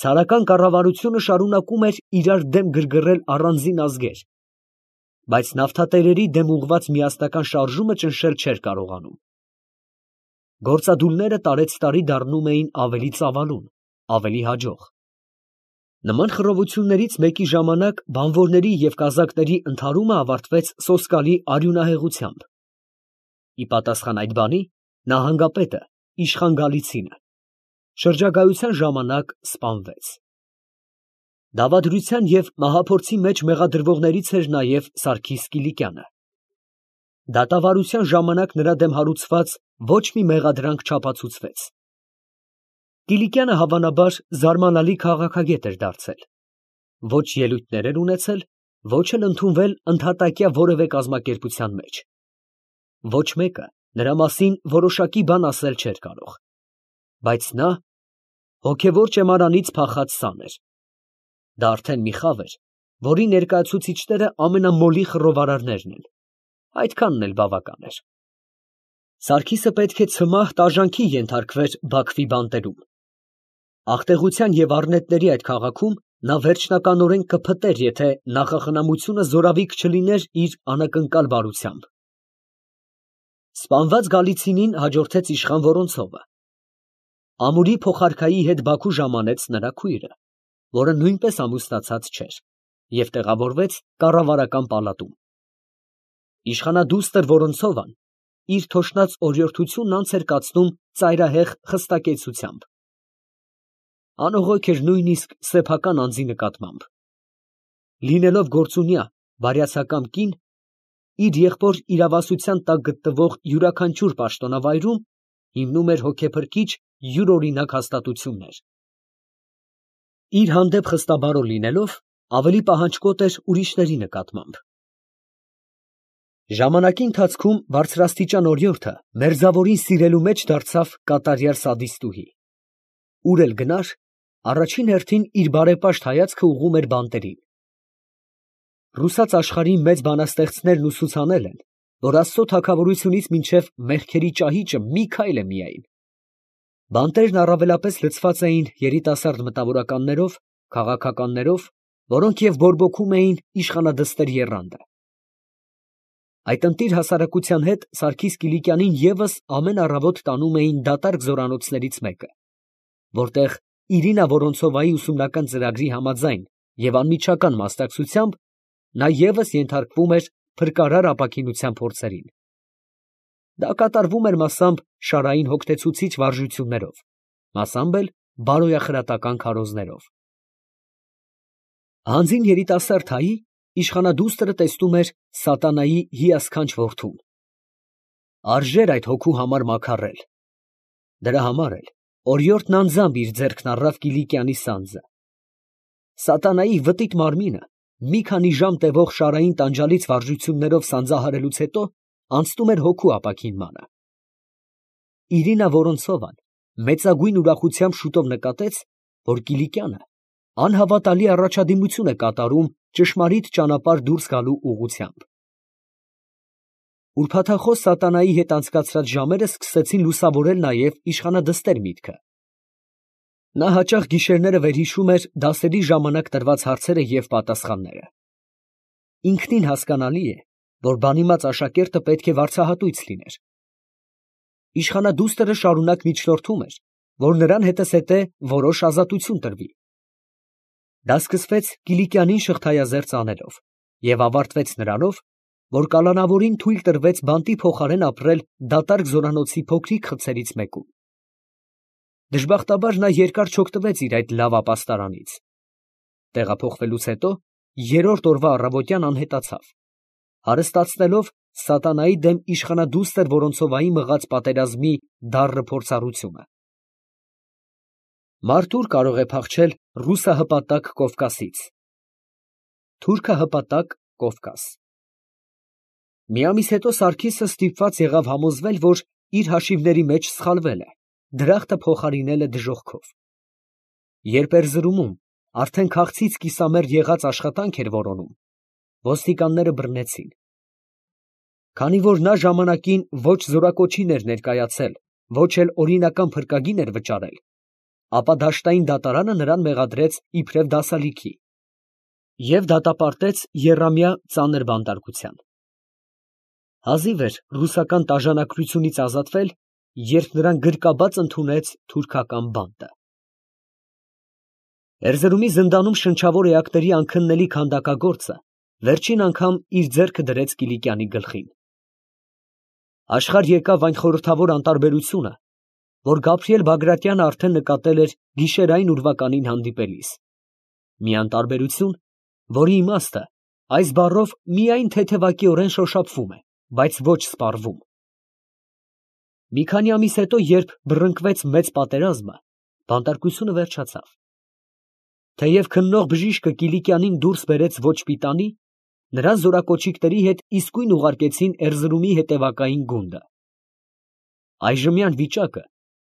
Ցարական կառավարությունը շարունակում էր իրար դեմ գրգռել առանձին ազգեր, բայց նավթատերերի դեմ ուղղված միասնական շարժումը ճնշել չէր կարողանում։ Գործադուլները տարեցտարի դառնում էին ավելի ծավալուն, ավելի հաջող։ Նման խռովություններից մեկի ժամանակ բանվորների և կազակների ընդհարումը ավարտվեց սոսկալի արյունահեղությամբ։ Ի պատասխան այդ բանի, նահանգապետը, իշխան Գալիցինը, շրջագայության ժամանակ սպանվեց։ Դավադրության և մահափորձի մեջ մեղադրվողներից էր նաև Սարգիս Կիլիկյանը։ Դատավարության ժամանակ նրա դեմ հարուցված ոչ մի մեղադրանք չապացուցվեց։ Կիլիկյանը հավանաբար զարմանալի քաղաքագետ էր դարձել, ոչ ելույթներ էր ունեցել, ոչ էլ ընդունվել ընդհատակյա որևէ կազմակերպության մեջ։ Ոչ մեկը նրա մասին որոշակի բան ասել չէր կարող, բայց նա հոգևոր ճեմարանից փախած սան էր։ Դա արդեն մի խավ էր, որի ներկայացուցիչները ամենամոլի խռովարարներն են, այդքանն էլ բավական էր։ Սարգիսը պետք է ցմահ տաժանքի ենթարկվեր Բաքվի բանտերում։ Աղտեղության և առնետների այդ քաղաքում նա վերջնականորեն կփտեր, եթե նախախնամությունը զորավիք չլիներ իր անակնկալ բարությամբ։ Սպանված Գալիցինին հաջորդեց իշխան Վորոնցովը։ Ամուրի փոխարքայի հետ Բաքու ժամանեց նրա քույրը, որը նույնպես ամուսնացած չէր, և տեղավորվեց կառավարական պալատում։ Իշխանադուստր Վորոնցովան իր թոշնած օրիորդությունն անց էր կացնում ծայրահեղ խստակեցությամբ։ Անողոք էր նույնիսկ սեփական անձի նկատմամբ։ Լինելով գործունյա, բարյացակամ կին, իր եղբոր իրավասության տակ գտնվող յուրաքանչյուր պաշտոնավայրում հիմնում էր հոգեփրկիչ յուրօրինակ հաստատություններ։ Իր հանդեպ խստաբարո լինելով, ավելի պահանջկոտ էր ուրիշների նկատմամբ։ Ժամանակի ընթացքում բարձրաստիճան օրիորդը մերձավորին սիրելու մեջ դարձավ կատարյալ սադիստուհի։ Ուր էլ գնար, առաջին հերթին իր բարեպաշտ հայացքը ուղղում էր բանտերին։ Ռուսաց աշխարհի մեծ բանաստեղծներն ուսուցանել են, որ Աստծո թագավորությունից մինչև մեղքերի ճահիճը մի քայլ է միայն։ Բանտերն առավելապես լցված էին երիտասարդ մտավորականներով, քաղաքականներով, որոնք և բորբոքում էին իշխանադստեր եռանդը։ Այդ ընտիր հասարակության հետ Սարգիս Կիլիկյանին ևս ամեն առավոտ տանում էին դատարկ զորանոցներից մեկը, որտեղ Իրինա Վորոնցովայի ուսումնական ծրագրի համաձայն և անմիջական մասնակցությամբ նա ևս ենթարկվում էր փրկարար ապաքինության փորձերին։ Դա կատարվում էր մասամբ շարային հոգնեցուցիչ վարժություններով, մասամբ էլ բարոյախրատական քարոզներով։ Հանձին երիտասարդ հայի իշխանադուստրը տեսնում էր սատանայի հիասքանչ որդուն։ Արժեր այդ հոգու համար մաքարել։ Դրա համար էլ օրիորդն անձամբ իր ձեռքն առավ Կիլիկյանի սանձը։ Սատանայի վտիտ մարմինը մի քանի ժամ տևող շարային տանջալից վարժություններով սանձահարելուց հետո անցնում էր հոգու ապաքինմանը։ Իրինա Վորոնցովան մեծագույն ուրախությամբ շուտով նկատեց, որ Կիլիկյանը անհավատալի առաջադիմություն է կատարում ճշմարիտ ճանապարհ դուրս գալու ուղղությամբ։ Ուրբաթախոս սատանայի հետ անցկացրած ժամերը սկսեցին լուսավորել նաև իշխանադստեր միտքը։ Նա հաճախ գիշերները վերհիշում էր դասերի ժամանակ տրված հարցերը և պատասխանները։ Ինքնին հասկանալի է, որ բանիմաց աշակերտը պետք է վարձահատույց լիներ։ Իշխանադուստրը շարունակ միջնորդում էր, որ նրան հետզհետե որոշ ազատություն տրվի։ Դա սկսվեց Կիլիկյանին շղթայազերծ անելով և ավարտվեց նրանով, որ կալանավորին թույլ տրվեց բանտի փոխարեն ապրել դատարկ զորանոցի փոքրիկ խցերից մեկում։ Դժբախտաբար նա երկար չօգտվեց իր այդ լավ ապաստարանից։ Տեղափոխվելուց հետո երրորդ օրվա առավոտյան անհետացավ, հարստացնելով սատանայի դեմ իշխանադուստր Վորոնցովայի մղած պատերազմի դառն փորձառությունը։ Մարդուր կարող է փախչել ռուսահպատակ Կովկասից։ Թուրքահպատակ Կովկաս։ Մի ամիս հետո Սարգիսը ստիպված եղավ համոզվել, որ իր հաշիվների մեջ սխալվել է, դրախտը փոխարինել է դժոխքով։ Երբ Էրզրումում արդեն քաղցից կիսամերկ եղած աշխատանք էր որոնում, ոստիկանները բռնեցին։ Քանի որ նա ժամանակին ոչ զորակոչին էր ներկայացել, ոչ էլ օրինական փրկագին էր վճարել, ապա դաշտային դատարանը նրան մեղադրեց իբրև դասալիքի և դատապարտեց եռամյա ծանր բանտարկության։ Հազիվ էր ռուսական տաժանակրությունից ազատվել, երբ նրան գրկաբաց ընդունեց թուրքական բանտը։ Էրզրումի զնդանում շնչավոր էակների անքննելի քանդակագործը վերջին անգամ իր ձեռքը դրեց Կիլիկյանի գլխին։ Աշխարհ եկավ այն խորհրդավոր անտարբերությունը, որ Գաբրիել Բագրատյանը արդեն նկատել էր գիշերային ուրվականին հանդիպելիս, մի անտարբերություն, որի իմաստը այս բառով միայն թեթևակիորեն շոշափվում է, բայց ոչ սպառվում։ Մի քանի ամիս հետո, երբ բռնկվեց մեծ պատերազմը, բանտարկությունը վերջացավ։ Թեև քննող բժիշկը Կիլիկյանին դուրս բերեց ոչ պիտանի, նրան զորակոչիկների հետ իսկույն ուղարկեցին Էրզրումի հետևակային գունդը։ Այժմյան վիճակը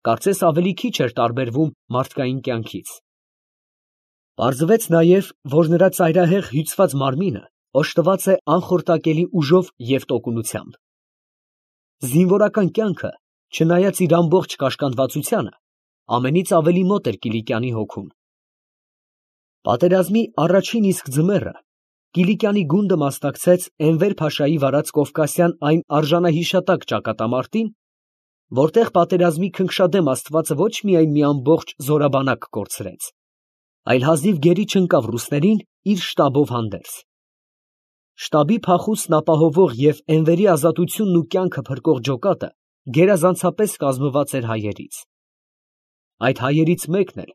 կարծես ավելի քիչ էր տարբերվում մարդկային կյանքից։ Պարզվեց նաև, որ նրա ծայրահեղ հյուծված մարմինը օժտված է անխորտակելի ուժով և տոկունությամբ։ Զինվորական կյանքը, չնայած իր ամբողջ կաշկանդվածությանը, ամենից ավելի մոտ էր Կիլիկյանի հոգուն։ Պատերազմի առաջին իսկ ձմեռը Կիլիկյանի գունդը մասնակցեց Էնվեր Փաշայի վարած կովկասյան այն արժանահիշատակ ճակատամարտին, որտեղ պատերազմի քնքշադեմ աստվածը ոչ միայն մի ամբողջ զորաբանակ կորցրեց, այլ հազիվ գերի չընկավ ռուսներին իր շտաբով հանդերձ։ Շտաբի փախուստն ապահովող և Էնվերի ազատությունն ու կյանքը փրկող ջոկատը գերազանցապես կազմված էր հայերից։ Այդ հայերից մեկն էլ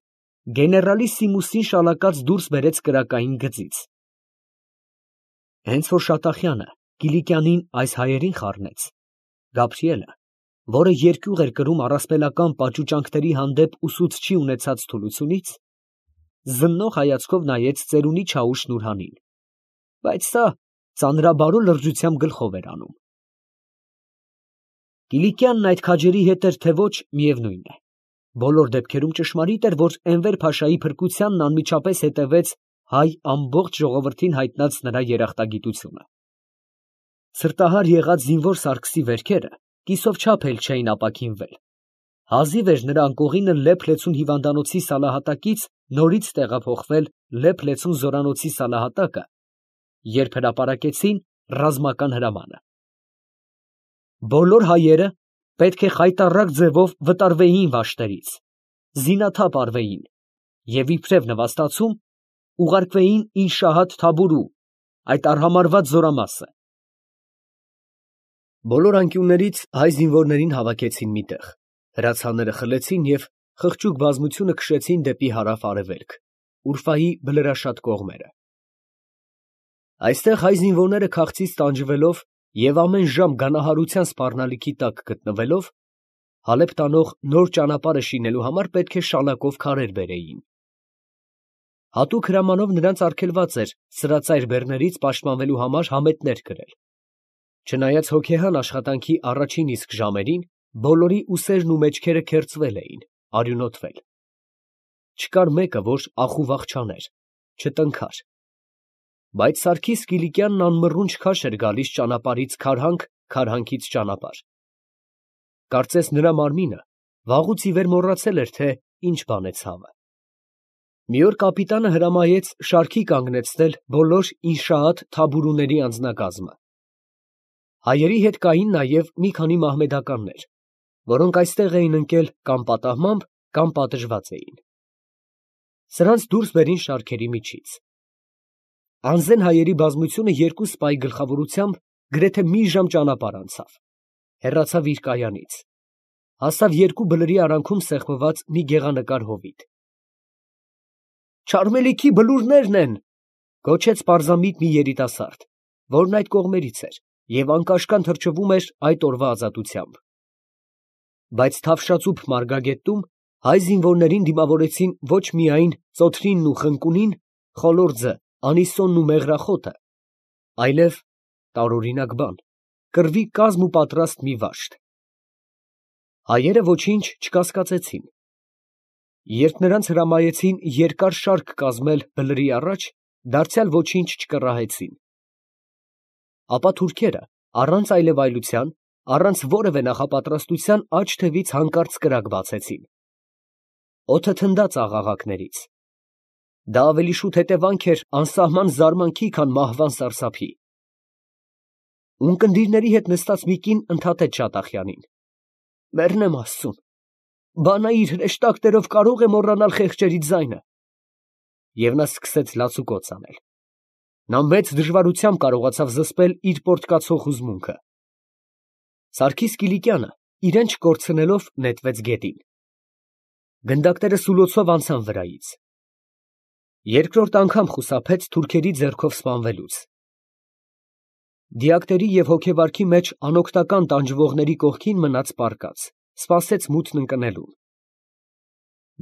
գեներալիսիմուսին շալակած դուրս բերեց կրակային գծից։ Հենց որ Շատախյանը Կիլիկյանին այս հայերին խառնեց, Գաբրիելը, որը երկյուղ էր կրում առասպելական պաճուճանքների հանդեպ ուսուցչի ունեցած թուլությունից, զննող հայացքով նայեց ծերունի Չաուշ Նուրհանին, բայց սա ծանրաբարո լրջությամբ գլխով էր անում։ Կիլիկյանն այդ քաջերի հետ էր, թե ոչ, միևնույն է։ Բոլոր դեպքերում ճշմարիտ էր, որ Էնվեր Փաշայի փրկությանն անմիջապես հետևեց հայ ամբողջ ժողովրդին հայտնած նրա երախտագիտությունը։ Սրտահար եղած զինվոր Սարգսի վերքերը կիսով չափ էլ չէին ապաքինվել։ Հազիվ էր նրա անկողինը Լեփ-Լեցուն հիվանդանոցի սալահատակից նորից տեղափոխվել Լեփ-Լեցուն զորանոցի սալահատակը, երբ հրապարակեցին ռազմական հրամանը։ Բոլոր հայերը պետք է խայտառակ ձևով վտարվեին վաշտերից, զինաթափ արվեին և իբրև նվաստացում ուղարկվեին Ինշահադ Թաբուրու, այդ արհամարհված զորամասը։ Բոլոր անկյուններից հայ զինվորներին հավաքեցին մի տեղ, հրացանները խլեցին և խղճուկ բազմությունը քշեցին դեպի հարավ֊արևելք, Ուրֆայի բլրաշատ կողմերը։ Այստեղ հայ զինվորները քաղցից տանջվելով և ամեն ժամ գանահարության սպառնալիքի տակ գտնվելով, Հալեբ տանող նոր ճանապարհը շինելու համար պետք է շալակով քարեր բերեին։ Հատուկ հրամանով նրանց արգելված էր սրածայր բեռներից պաշտպանվելու համար համետներ կրել։ Չնայած հոգեհան աշխատանքի առաջին իսկ ժամերին բոլորի ուսերն ու մեջքերը քերծվել էին, արյունոտվել։ Չկար մեկը, որ ախուվախ չաներ, չտնքար։ Բայց Սարգիս Կիլիկյանն անմռունչ քաշ էր գալիս ճանապարհից քարհանք, քարհանքից ճանապարհ։ Կարծես նրա մարմինը վաղուց ի վեր մոռացել էր, թե ինչ բան է ցավը։ Մի օր կապիտանը հրամայեց շարքի կանգնեցնել բոլոր Ինշահադ Թաբուրուների անձնակազմը։ Հայերի հետ կային նաև մի քանի մահմեդականներ, որոնք այստեղ էին ընկել կամ պատահմամբ, կամ պատժված էին։ Սրանց դուրս բերին շարքերի միջից։ Անզեն հայերի բազմությունը երկու սպայի գլխավորությամբ գրեթե մի ժամ ճանապարհ անցավ, հեռացավ իր կայանից, հասավ երկու բլրի արանքում սեղմված մի գեղանկար հովիտ։ «Չարմելիքի բլուրներն են», ֊ գոչեց պարզամիտ մի երիտասարդ, որն այդ կողմերից էր և անկաշկան թրջվում էր այդ օրվա ազատությամբ։ Բայց Թավշածուփ մարգագետտում հայ զինվորներին դիմավորեցին ոչ միայն ծոթրինն ու խնկունին, խոլորձը, անիսոնն ու մեղրախոտը, այլև տարօրինակ բան, կռվի կազմ ու պատրաստ մի վաշտ։ Հայերը ոչինչ չկասկածեցին։ Երբ նրանց հրամայեցին երկար շարք կազմել բլրի առաջ, դարձյալ ոչինչ չկռահեցին։ Ապա թուրքերը առանց այլևայլության, առանց որևէ նախապատրաստության աջ թևից հանկարծ կրակ բացեցին։ Օդը թնդաց աղաղակներից։ Դա ավելի շուտ հետևանք էր անսահման զարմանքի, քան մահվան սարսափի։ Ունկնդիրների հետ նստած մի կին ընդհատեց Շատախյանին. «Մեռնեմ Աստծուն, բանա իր հրեշտակներով կարող է մոռանալ խեղճերի ձայնը»։ Եվ նա սկսեց լացուկոծ անել։ Նա մեծ դժվարությամբ կարողացավ զսպել իր պոռթկացող հուզմունքը։ Սարգիս Կիլիկյանը, իրեն չկորցնելով, նետվեց գետին։ Գնդակները սուլոցով անցան վրայից։ Երկրորդ անգամ խուսափեց թուրքերի ձեռքով սպանվելուց։ Դիակների և հոգեվարքի մեջ անօգնական տանջվողների կողքին մնաց պառկած, սպասեց մութն ընկնելուն։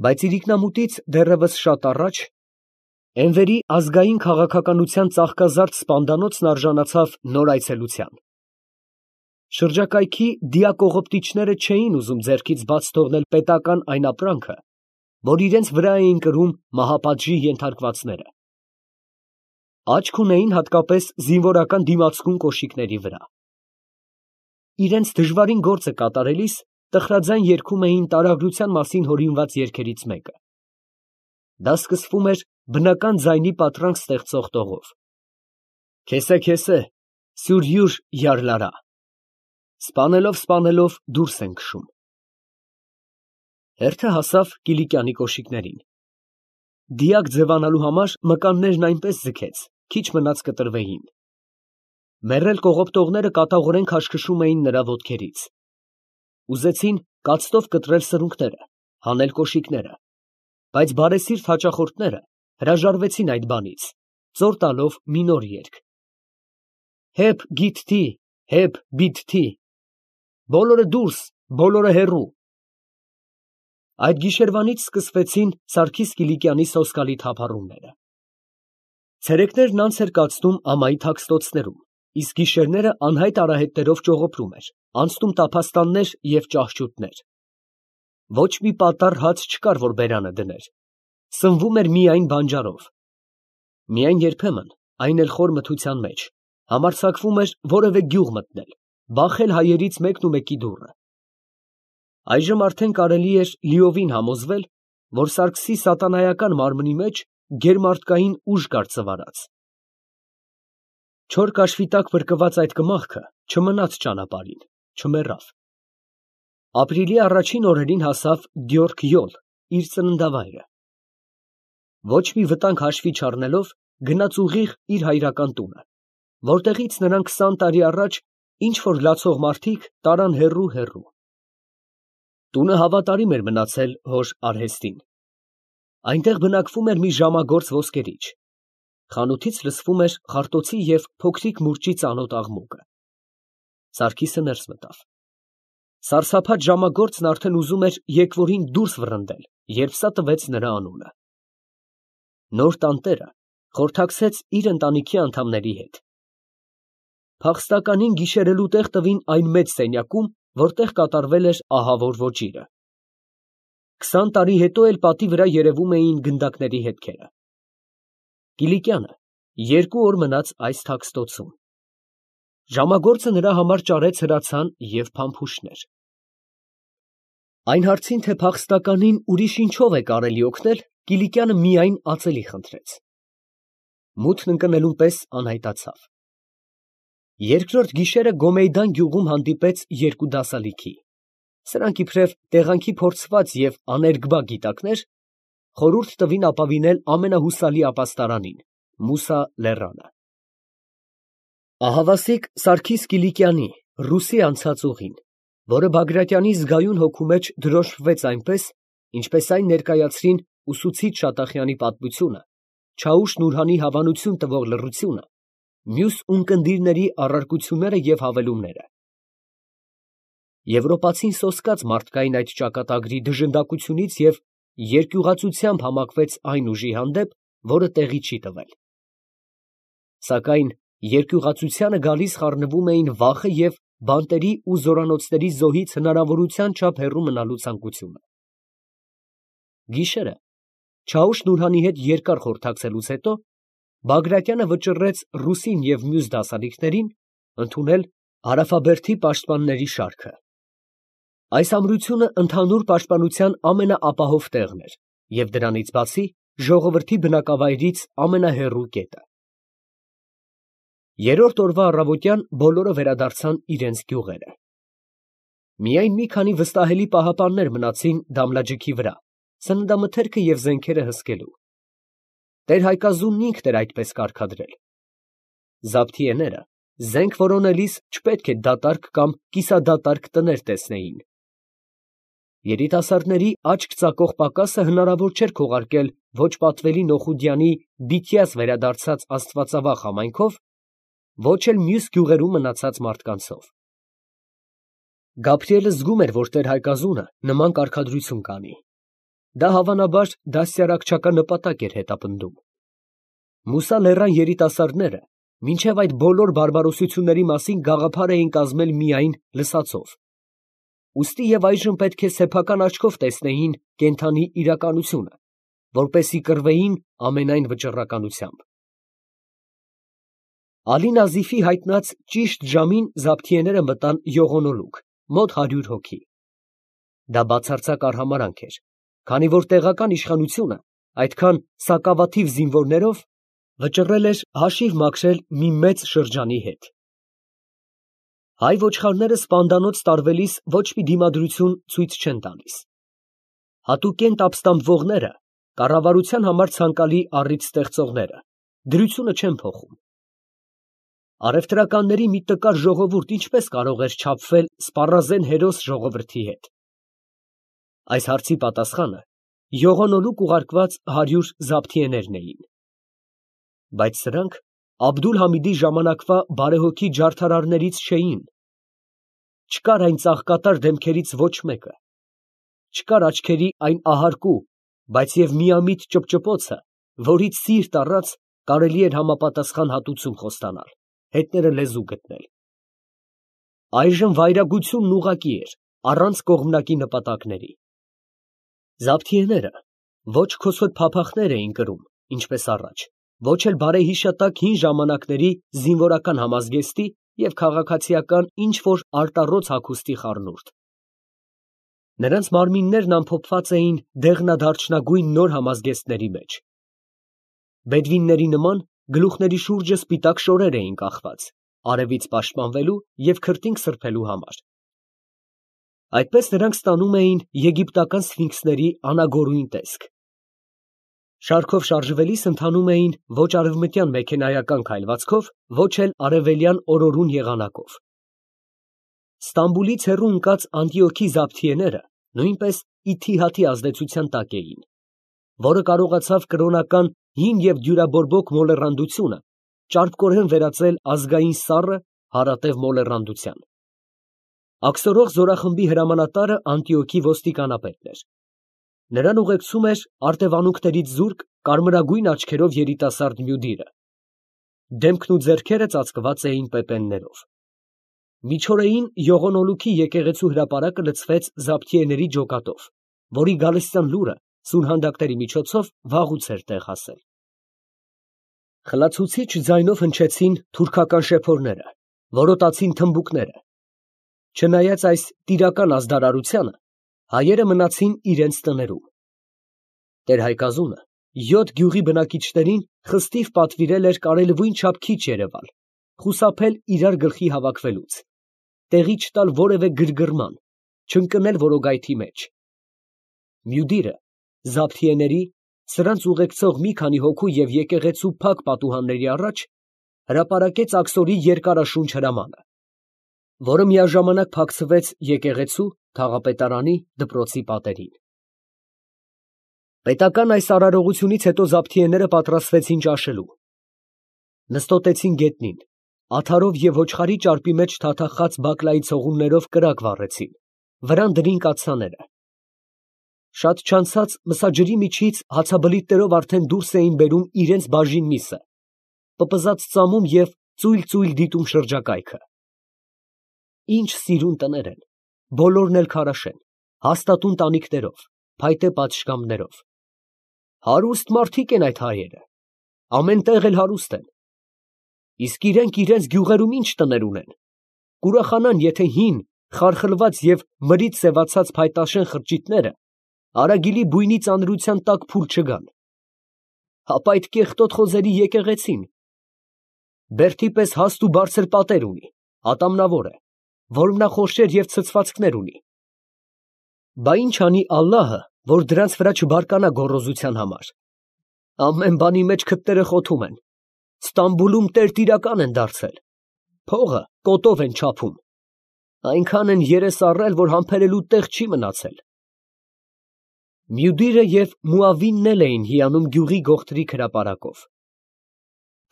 Բայց իրիկնամուտից դեռևս շատ առաջ Էնվերի ազգային քաղաքականության ծաղկազարդ սպանդանոցն արժանացավ նոր այցելության։ Շրջակայքի դիակողոպտիչները չէին ուզում ձեռքից բաց թողնել պետական այն ապրանքը, որ իրենց վրա էին կրում մահապատժի ենթարկվածները։ Աչք ունեին հատկապես զինվորական դիմացկուն կոշիկների վրա։ Իրենց դժվարին գործը կատարելիս տխրաձայն երգում էին տարագրության մասին հորինված երգերից մեկը։ Դա սկսվում էր բնական ձայնի պատրանք ստեղծող տողով. Քեսե, քեսե, սյուր յուր յարլարա, սպանելով դուրս են քշում։ Հերթը հասավ Կիլիկյանի կոշիկներին։ Դիակ ձևանալու համար մկաններն այնպես ձգեց, քիչ մնաց կտրվեին։ Մեռել կողոպտողները կատաղորեն քաշքշում էին նրա ոտքերից։ Ուզեցին կացտով կտրել սրունքները, հանել կոշիկները, բայց բարեսիրտ հաճախորդները հրաժարվեցին այդ բանից, ծոր տալով մի նոր երգ. Հեփ գիթթի, հեփ բիթթի, բոլորը դուրս, բոլորը հեռու։ Այդ գիշերվանից սկսվեցին Սարգիս Կիլիկյանի սոսկալի թափառումները։ Ցերեկներն անց էր կացնում ամայի թաքստոցներում, իսկ գիշերները անհայտ արահետներով ճողոպրում էր, անցնում տափաստաններ և ճահճուտներ։ Ոչ մի պատառ հաց չկար, որ բերանը դներ, սնվում էր միայն բանջարով։ Միայն երբեմն, այն էլ խոր մթության մեջ, համարձակվում էր որևէ գյուղ մտնել, բախել հայերից մեկնումեկի դուռը։ Այժմ արդեն կարելի էր լիովին համոզվել, որ Սարգսի սատանայական մարմնի մեջ գերմարդկային ուժ կար ծվարած։ Չոր կաշվի տակ փրկված այդ կմախքը չմնաց ճանապարհին, չմեռավ։ Ապրիլի առաջին օրերին հասավ Գյորգ Յոլ, իր ծննդավայրը։ Ոչ մի վտանգ հաշվի չառնելով, գնաց ուղիղ իր հայրական տունը, որտեղից նրան 20 տարի առաջ ինչ֊որ լացող մարդիկ տարան հեռու։ Տունը հավատարիմ էր մնացել հոր արհեստին։ Այնտեղ բնակվում էր մի ժամագործ ոսկերիչ։ Խանութից լսվում էր խարտոցի և փոքրիկ մուրճի ծանոթ աղմուկը։ Սարգիսը ներս մտավ։ Սարսափած ժամագործն արդեն ուզում էր եկվորին դուրս վռնդել, երբ սա տվեց նրա անունը։ Նոր տանտերը խորհրդակցեց իր ընտանիքի անդամների հետ։ Փախստականին գիշերելու տեղ տվին այն մեծ սենյակում, որտեղ կատարվել էր ահավոր ոճիրը։ 20 տարի հետո էլ պատի վրա երևում էին գնդակների հետքերը։ Կիլիկյանը 2 օր մնաց այս թաքստոցում։ Ժամագործը նրա համար ճարեց հրացան և փամփուշտներ։ Այն հարցին, թե փախստականին ուրիշ ինչով է կարելի օգնել, Կիլիկյանը միայն ածելի խնդրեց։ Մութն ընկնելուն պես անհայտացավ։ Երկրորդ գիշերը Գոմեյդան գյուղում հանդիպեց երկու դասալիքի։ Սրանք իբրև տեղանքի փորձված և աներկբա գիտակներ խորհուրդ տվին ապավինել ամենահուսալի ապաստարանին՝ Մուսա լեռանը։ Ահավասիկ Սարգիս Կիլիկյանի ռուսի անցած ուղին, որը Բագրատյանի զգայուն հոգու մեջ դրոշմվեց այնպես, ինչպես այն ներկայացրին ուսուցիչ Շատախյանի պատմությունը, Չաուշ Նուրհանի հավանություն տվող լռությունը, մյուս ունկնդիրների առարկությունները և հավելումները։ Եվրոպացին սոսկաց մարդկային այդ ճակատագրի դժնդակությունից և երկյուղածությամբ համակվեց այն ուժի հանդեպ, որը տեղի չի տվել։ Սակայն երկյուղածությանը գալիս խառնվում էին վախը և բանտերի ու զորանոցների զոհից հնարավորության չափ հեռու մնալու ցանկությունը։ Գիշերը Չաուշ Նուրհանի հետ երկար խորհրդակցելուց հետո Բագրատյանը վճռեց ռուսին և մյուս դասալիքներին ընդունել Հարավաբերդի պաշտպանների շարքը։ Այս ամրությունը ընդհանուր պաշտպանության ամենաապահով տեղն էր և դրանից բացի ժողովրդի բնակավայրից ամենահեռու կետը։ Երրորդ օրվա առավոտյան բոլորը վերադարձան իրենց գյուղերը։ Միայն մի քանի վստահելի պահապաններ մնացին Դամլաջիքի վրա, սննդամթերքը և զենքերը հսկելու։ Տեր Հայկազունն ինքն էր այդպես կարգադրել։ Զաբթիեները զենք որոնելիս չպետք է դատարկ կամ կիսադատարկ տներ տեսնեին։ Երիտասարդների աչք ծակող պակասը հնարավոր չէր քողարկել ոչ պատվելի Նոխուդյանի բիթյազ վերադարձած աստվածավախ համայնքով, ոչ էլ մյուս գյուղերում մնացած մարդկանցով։ Գաբրիելը զգում էր, որ տեր Հայկազունը նման կարգադրություն կանի։ Դա հավանաբար դաստիարակչական նպատակ էր հետապնդում։ Մուսա լեռան երիտասարդները մինչև այդ բոլոր բարբարոսությունների մասին գաղափար էին կազմել միայն լսածով։ Ուստի և այժմ պետք է սեփական աչքով տեսնեին կենդանի իրականությունը, որպեսզի կռվեին ամենայն վճռականությամբ։ Ալի Նազիֆի հայտնած ճիշտ ժամին զաբթիեները մտան Յողոնոլուկ, մոտ 100 հոգի։ Դա բացարձակ արհամարհանք էր, քանի որ տեղական իշխանությունը այդքան սակավաթիվ զինվորներով վճռել էր հաշիվ մաքրել մի մեծ շրջանի հետ։ Հայ ոչխարները սպանդանոց տարվելիս ոչ մի դիմադրություն ցույց չեն տալիս։ Հատուկենտ ապստամբվողները, կառավարության համար ցանկալի առիթ ստեղծողները, դրությունը չեն փոխում։ Առևտրականների մի տկար ժողովուրդ ինչպես կարող էր չափվել սպառազեն հերոս ժողովրդի հետ։ Այս հարցի պատասխանը Յողոնոլուկ ուղարկված 100 զաբթիեներն էին։ Բայց սրանք Աբդուլ֊Համիդի ժամանակվա բարեհոգի ջարդարարներից չէին։ Չկար այն ծաղկատար դեմքերից ոչ մեկը, չկար աչքերի այն ահարկու, բայց և միամիտ ճպճպոցը, որից սիրտ առած կարելի էր համապատասխան հատուցում խոստանալ, հետները լեզու գտնել։ Այժմ վայրագությունն ուղղակի էր, առանց կողմնակի նպատակների։ Զաբթիեները ոչ քոսոտ փափախներ էին կրում, ինչպես առաջ, ոչ էլ բարեհիշատակ հին ժամանակների զինվորական համազգեստի և քաղաքացիական ինչ-որ արտառոց հագուստի խառնուրդ։ Նրանց մարմիններն ամփոփված էին դեղնադարչնագույն նոր համազգեստների մեջ։ Բեդվինների նման գլուխների շուրջը սպիտակ շորեր էին կախված, արևից պաշտպանվելու և քրտինք սրբելու համար։ Այդպես նրանք ստանում էին եգիպտական սֆինքսների անագորույն տեսք։ Շարքով շարժվելիս ընթանում էին ոչ արևմտյան մեքենայական քայլվածքով, ոչ էլ արևելյան օրորուն եղանակով։ Ստամբուլից հեռու ընկած Անտիոքի զաբթիեները նույնպես Իթիհադի ազդեցության տակ էին, որը կարողացավ կրոնական հին և դյուրաբորբոք մոլեռանդությունը ճարպկորեն վերածել ազգային սառը, հարատև մոլեռանդության։ Աքսորող զորախմբի հրամանատարը Անտիոքի ոստիկանապետն էր։ Նրան ուղեկցում էր արտևանունքներից զուրկ կարմրագույն աչքերով երիտասարդ Մյուդիրը։ Դեմքն ու ձեռքերը ծածկված էին պեպեններով։ Միջօրեին Յողոնոլուքի եկեղեցու հրապարակը լցվեց զաբթիեների ջոկատով, որի գալստյան լուրը սուրհանդակների միջոցով վաղուց էր տեղ հասել։ Խլացուցիչ ձայնով հնչեցին թուրքական շեփորները, որոտացին թմբուկները։ Չնայած այս տիրական ազդարարությանը, հայերը մնացին իրենց տներում։ Տեր Հայկազունը 7 գյուղի բնակիչներին խստիվ պատվիրել էր կարելույն չափ քիչ երևալ, խուսափել իրար գլխի հավաքվելուց, տեղի չտալ որևէ գրգռման, չընկնել որոգայթի մեջ։ Մյուդիրը զաբթիեների, սրանց ուղեկցող մի քանի հոգու և եկեղեցու փակ պատուհանների առաջ հրապարակեց աքսորի երկարաշունչ հրամանը, որը միաժամանակ փակցվեց եկեղեցու, թաղապետարանի, դպրոցի պատերին։ Պետական այս արարողությունից հետո զաբթիեները պատրաստվեցին ճաշելու։ Նստոտեցին գետնին, աթարով և ոչխարի ճարպի մեջ թաթախած բակլայի ցողուններով կրակ վառեցին, վրան դրին կաթսաները։ Շատ չանցած մսաջրի միջից հացաբլիթներով արդեն դուրս էին բերում իրենց բաժին միսը, պպզած ծամում և ծույլ դիտում շրջակայքը։ Ինչ սիրուն տներ են, բոլորն էլ քարաշեն, հաստատուն տանիքներով, փայտե պատշգամբներով։ Հարուստ մարդիկ են այդ հայերը, ամեն տեղ էլ հարուստ են։ Իսկ իրենք իրենց գյուղերում ինչ տներ ունեն, կուրախանան, եթե հին, խարխլված և մրից սևացած փայտաշեն խրճիթները արագիլի բույնի ծանրության տակ փուլ չգան, ապա այդ կեղտոտ խոզերի եկեղեցին բերդի պես հաստ ու բարձր պատեր ունի, ատամնավոր է, որմնախորշեր և ցցվածքներ ունի, բա ի՞նչ անի ալլահը, որ դրանց վրա չբարկանա գոռոզության համար. ամեն բանի մեջ քթները խոթում են, Ստամբուլում տերտիրական են դարձել, փողը կոտով են չափում, այնքան են երես առել, որ համբերելու տեղ չի մնացել։ Մյուդիրը և Մուավինն էլ էին հիանում գյուղի գողտրիկ հրապարակով։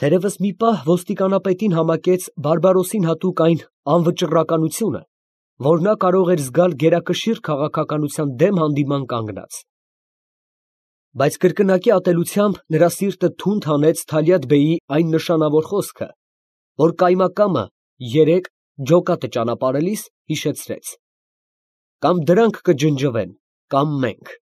Թերևս մի պահ ոստիկանապետին համակեց Բարբարոսին հատուկ այն անվճռականությունը, որ նա կարող էր զգալ գերակշիռ քաղաքականության դեմ հանդիման կանգնած։ Բայց կրկնակի ատելությամբ նրա սիրտը թունդ հանեց Թալյաթ֊բեյի այն նշանավոր խոսքը, որ կայմակամը երեկ ջոկատը ճանապարհելիս հիշեցրեց. «Կամ դրանք կջնջվեն, կամ մենք»։